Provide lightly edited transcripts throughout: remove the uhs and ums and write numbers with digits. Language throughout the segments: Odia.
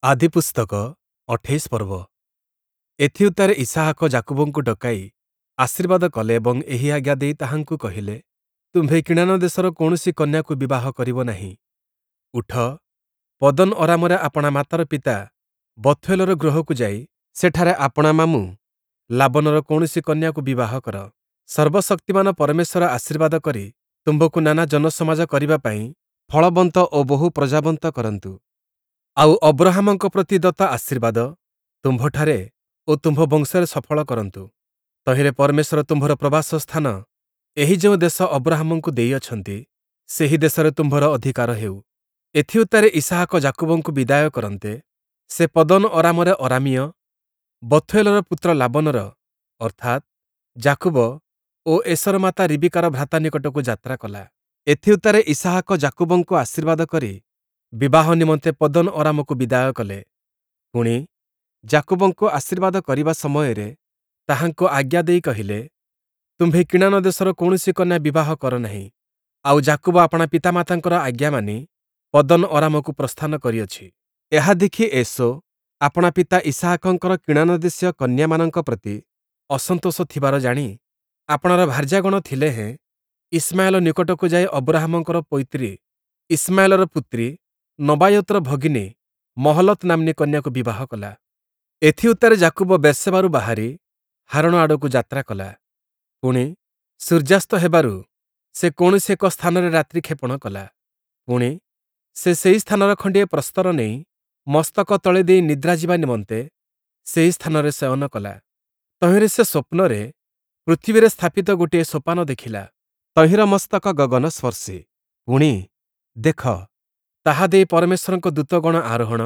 ଆଦିପୁସ୍ତକ ୨୮ ପର୍ବ। ଏଥିଉତ୍ତାରେ ଇସାହାକ ଯାକୁବଙ୍କୁ ଡକାଇ ଆଶୀର୍ବାଦ କଲେ ଏବଂ ଏହି ଆଜ୍ଞା ଦେଇ ତାହାଙ୍କୁ କହିଲେ, ତୁମ୍ଭେ କିଣାନ ଦେଶର କୌଣସି କନ୍ୟାକୁ ବିବାହ କରିବ ନାହିଁ। ଉଠ, ପଦନ୍ ଅରାମରେ ଆପଣା ମାତାର ପିତା ବଥୂଏଲର ଗୃହକୁ ଯାଇ ସେଠାରେ ଆପଣା ମାମୁଁ ଲାବନର କୌଣସି କନ୍ୟାକୁ ବିବାହ କର। ସର୍ବଶକ୍ତିମାନ ପରମେଶ୍ୱର ଆଶୀର୍ବାଦ କରି ତୁମ୍ଭକୁ ନାନା ଜନସମାଜ କରିବା ପାଇଁ ଫଳବନ୍ତ ଓ ବହୁ ପ୍ରଜାବନ୍ତ କରନ୍ତୁ। ଆଉ ଅବ୍ରହାମଙ୍କ ପ୍ରତି ଦତ୍ତ ଆଶୀର୍ବାଦ ତୁମ୍ଭଠାରେ ଓ ତୁମ୍ଭ ବଂଶରେ ସଫଳ କରନ୍ତୁ। ତହିଁରେ ପରମେଶ୍ୱର ତୁମ୍ଭର ପ୍ରବାସ ସ୍ଥାନ ଏହି ଯେଉଁ ଦେଶ ଅବ୍ରହାମଙ୍କୁ ଦେଇଅଛନ୍ତି, ସେହି ଦେଶରେ ତୁମ୍ଭର ଅଧିକାର ହେଉ। ଏଥିଉତ୍ତାରେ ଇସାହାକ ଯାକୁବଙ୍କୁ ବିଦାୟ କରନ୍ତେ, ସେ ପଦନ୍ ଅରାମରେ ଅରାମୀୟ ବଥୂଏଲର ପୁତ୍ର ଲାବନର ଅର୍ଥାତ୍ ଯାକୁବ ଓ ଏଷର ମାତା ରିବିକାର ଭ୍ରାତା ନିକଟକୁ ଯାତ୍ରା କଲା। ଏଥିଉତ୍ତାରେ ଇସାହାକ ଯାକୁବଙ୍କୁ ଆଶୀର୍ବାଦ କରି ବିବାହ ନିମନ୍ତେ ପଦନ୍ ଅରାମକୁ ବିଦାୟ କଲେ। ପୁଣି, ଯାକୁବଙ୍କୁ ଆଶୀର୍ବାଦ କରିବା ସମୟରେ ତାହାଙ୍କୁ ଆଜ୍ଞା ଦେଇ କହିଲେ, ତୁମ୍ଭେ କିଣାନ ଦେଶର କୌଣସି କନ୍ୟା ବିବାହ କର ନାହିଁ। ଆଉ ଯାକୁବ ଆପଣା ପିତାମାତାଙ୍କର ଆଜ୍ଞା ମାନି ପଦନ୍ ଅରାମକୁ ପ୍ରସ୍ଥାନ କରିଅଛି। ଏହା ଦେଖି ଏଷୌ ଆପଣା ପିତା ଇସାହାକଙ୍କର କିଣାନ ଦେଶୀୟ କନ୍ୟାମାନଙ୍କ ପ୍ରତି ଅସନ୍ତୋଷ ଥିବାର ଜାଣି ଆପଣାର ଭାର୍ଯ୍ୟାଗଣ ଥିଲେ ହେଁ ଇଶ୍ମାଏଲ ନିକଟକୁ ଯାଇ ଅବ୍ରହାମଙ୍କର ପୈତ୍ରୀ ଇଶ୍ମାଏଲର ପୁତ୍ରୀ ନବାୟୋତର ଭଗିନୀ ମହଲତ୍ ନାମ୍ନୀ କନ୍ୟାକୁ ବିବାହ କଲା। ଏଥିଉତ୍ତାରେ ଯାକୁବ ବେର୍ଶେବାରୁ ବାହାରି ହାରଣ ଆଡ଼କୁ ଯାତ୍ରା କଲା। ପୁଣି, ସୂର୍ଯ୍ୟାସ୍ତ ହେବାରୁ ସେ କୌଣସି ଏକ ସ୍ଥାନରେ ରାତ୍ରିକ୍ଷେପଣ କଲା। ପୁଣି, ସେ ସେହି ସ୍ଥାନର ଖଣ୍ଡିଏ ପ୍ରସ୍ତର ନେଇ ମସ୍ତକ ତଳେ ଦେଇ ନିଦ୍ରା ଯିବା ନିମନ୍ତେ ସେହି ସ୍ଥାନରେ ଶୟନ କଲା। ତହିଁରେ ସେ ସ୍ୱପ୍ନରେ ପୃଥିବୀରେ ସ୍ଥାପିତ ଗୋଟିଏ ସୋପାନ ଦେଖିଲା। ତହିଁର ମସ୍ତକ ଗଗନସ୍ପର୍ଶୀ। ପୁଣି, ଦେଖ, ତାହା ଦେଇ ପରମେଶ୍ୱରଙ୍କ ଦୂତଗଣ ଆରୋହଣ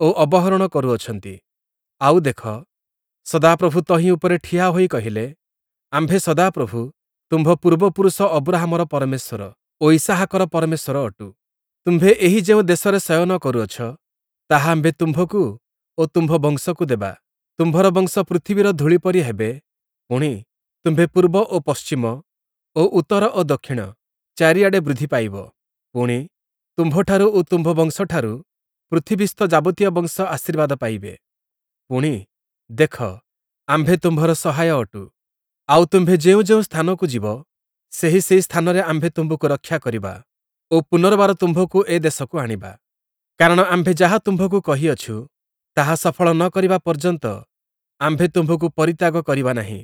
ଓ ଅବହରଣ କରୁଅଛନ୍ତି। ଆଉ ଦେଖ, ସଦାପ୍ରଭୁ ତହିଁ ଉପରେ ଠିଆ ହୋଇ କହିଲେ, ଆମ୍ଭେ ସଦାପ୍ରଭୁ ତୁମ୍ଭ ପୂର୍ବପୁରୁଷ ଅବ୍ରହାମର ପରମେଶ୍ୱର ଓ ଇସାହାକର ପରମେଶ୍ୱର ଅଟୁ। ତୁମ୍ଭେ ଏହି ଯେଉଁ ଦେଶରେ ଶୟନ କରୁଅଛ, ତାହା ଆମ୍ଭେ ତୁମ୍ଭକୁ ଓ ତୁମ୍ଭ ବଂଶକୁ ଦେବା। ତୁମ୍ଭର ବଂଶ ପୃଥିବୀର ଧୂଳି ପରି ହେବେ। ପୁଣି, ତୁମ୍ଭେ ପୂର୍ବ ଓ ପଶ୍ଚିମ ଓ ଉତ୍ତର ଓ ଦକ୍ଷିଣ ଚାରିଆଡ଼େ ବୃଦ୍ଧି ପାଇବ। ପୁଣି, ତୁମ୍ଭଠାରୁ ଓ ତୁମ୍ଭ ବଂଶଠାରୁ ପୃଥିବୀସ୍ଥ ଯାବତୀୟ ବଂଶ ଆଶୀର୍ବାଦ ପାଇବେ। ପୁଣି, ଦେଖ, ଆମ୍ଭେ ତୁମ୍ଭର ସହାୟ ଅଟୁ। ଆଉ ତୁମ୍ଭେ ଯେଉଁ ଯେଉଁ ସ୍ଥାନକୁ ଯିବ, ସେହି ସେହି ସ୍ଥାନରେ ଆମ୍ଭେ ତୁମ୍ଭକୁ ରକ୍ଷା କରିବା ଓ ପୁନର୍ବାର ତୁମ୍ଭକୁ ଏ ଦେଶକୁ ଆଣିବା। କାରଣ ଆମ୍ଭେ ଯାହା ତୁମ୍ଭକୁ କହିଅଛୁ, ତାହା ସଫଳ ନ କରିବା ପର୍ଯ୍ୟନ୍ତ ଆମ୍ଭେ ତୁମ୍ଭକୁ ପରିତ୍ୟାଗ କରିବା ନାହିଁ।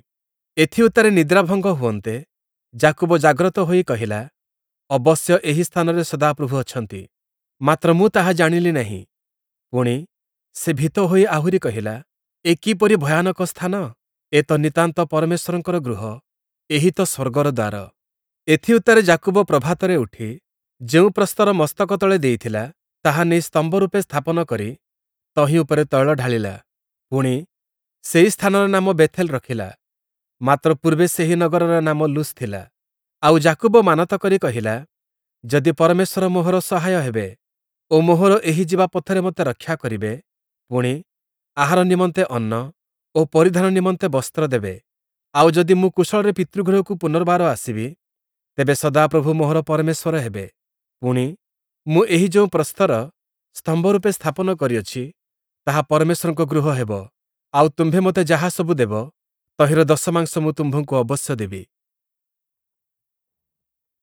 ଏଥିଉତ୍ତାରେ ନିଦ୍ରାଭଙ୍ଗ ହୁଅନ୍ତେ, ଯାକୁବ ଜାଗ୍ରତ ହୋଇ କହିଲା, ଅବଶ୍ୟ ଏହି ସ୍ଥାନରେ ସଦାପ୍ରଭୁ ଅଛନ୍ତି, ମାତ୍ର ମୁଁ ତାହା ଜାଣିଲି ନାହିଁ। ପୁଣି, ସେ ଭୀତ ହୋଇ ଆହୁରି କହିଲା, ଏ କିପରି ଭୟାନକ ସ୍ଥାନ! ଏ ତ ନିତାନ୍ତ ପରମେଶ୍ୱରଙ୍କର ଗୃହ, ଏହି ତ ସ୍ୱର୍ଗର ଦ୍ୱାର। ଏଥିଉତ୍ତାରେ ଯାକୁବ ପ୍ରଭାତରେ ଉଠି ଯେଉଁ ପ୍ରସ୍ତର ମସ୍ତକ ତଳେ ଦେଇଥିଲା, ତାହା ନେଇ ସ୍ତମ୍ଭ ରୂପେ ସ୍ଥାପନ କରି ତହିଁ ଉପରେ ତୈଳ ଢାଳିଲା। ପୁଣି, ସେହି ସ୍ଥାନର ନାମ ବେଥେଲ ରଖିଲା, ମାତ୍ର ପୂର୍ବେ ସେହି ନଗରର ନାମ ଲୁସ୍ ଥିଲା। ଆଉ ଯାକୁବ ମାନତ କରି କହିଲା, ଯଦି ପରମେଶ୍ୱର ମୋହର ସହାୟ ହେବେ ଓ ମୋହର ଏହି ଯିବା ପଥରେ ମୋତେ ରକ୍ଷା କରିବେ, ପୁଣି, ଆହାର ନିମନ୍ତେ ଅନ୍ନ ଓ ପରିଧାନ ନିମନ୍ତେ ବସ୍ତ୍ର ଦେବେ, ଆଉ ଯଦି ମୁଁ କୁଶଳରେ ପିତୃଗୃହକୁ ପୁନର୍ବାର ଆସିବି, ତେବେ ସଦାପ୍ରଭୁ ମୋହର ପରମେଶ୍ୱର ହେବେ। ପୁଣି, ମୁଁ ଏହି ଯେଉଁ ପ୍ରସ୍ତର ସ୍ତମ୍ଭ ରୂପେ ସ୍ଥାପନ କରିଅଛି, ତାହା ପରମେଶ୍ୱରଙ୍କ ଗୃହ ହେବ। ଆଉ ତୁମ୍ଭେ ମୋତେ ଯାହା ସବୁ ଦେବ, ତହିଁର ଦଶମାଂଶ ମୁଁ ତୁମ୍ଭଙ୍କୁ ଅବଶ୍ୟ ଦେବି।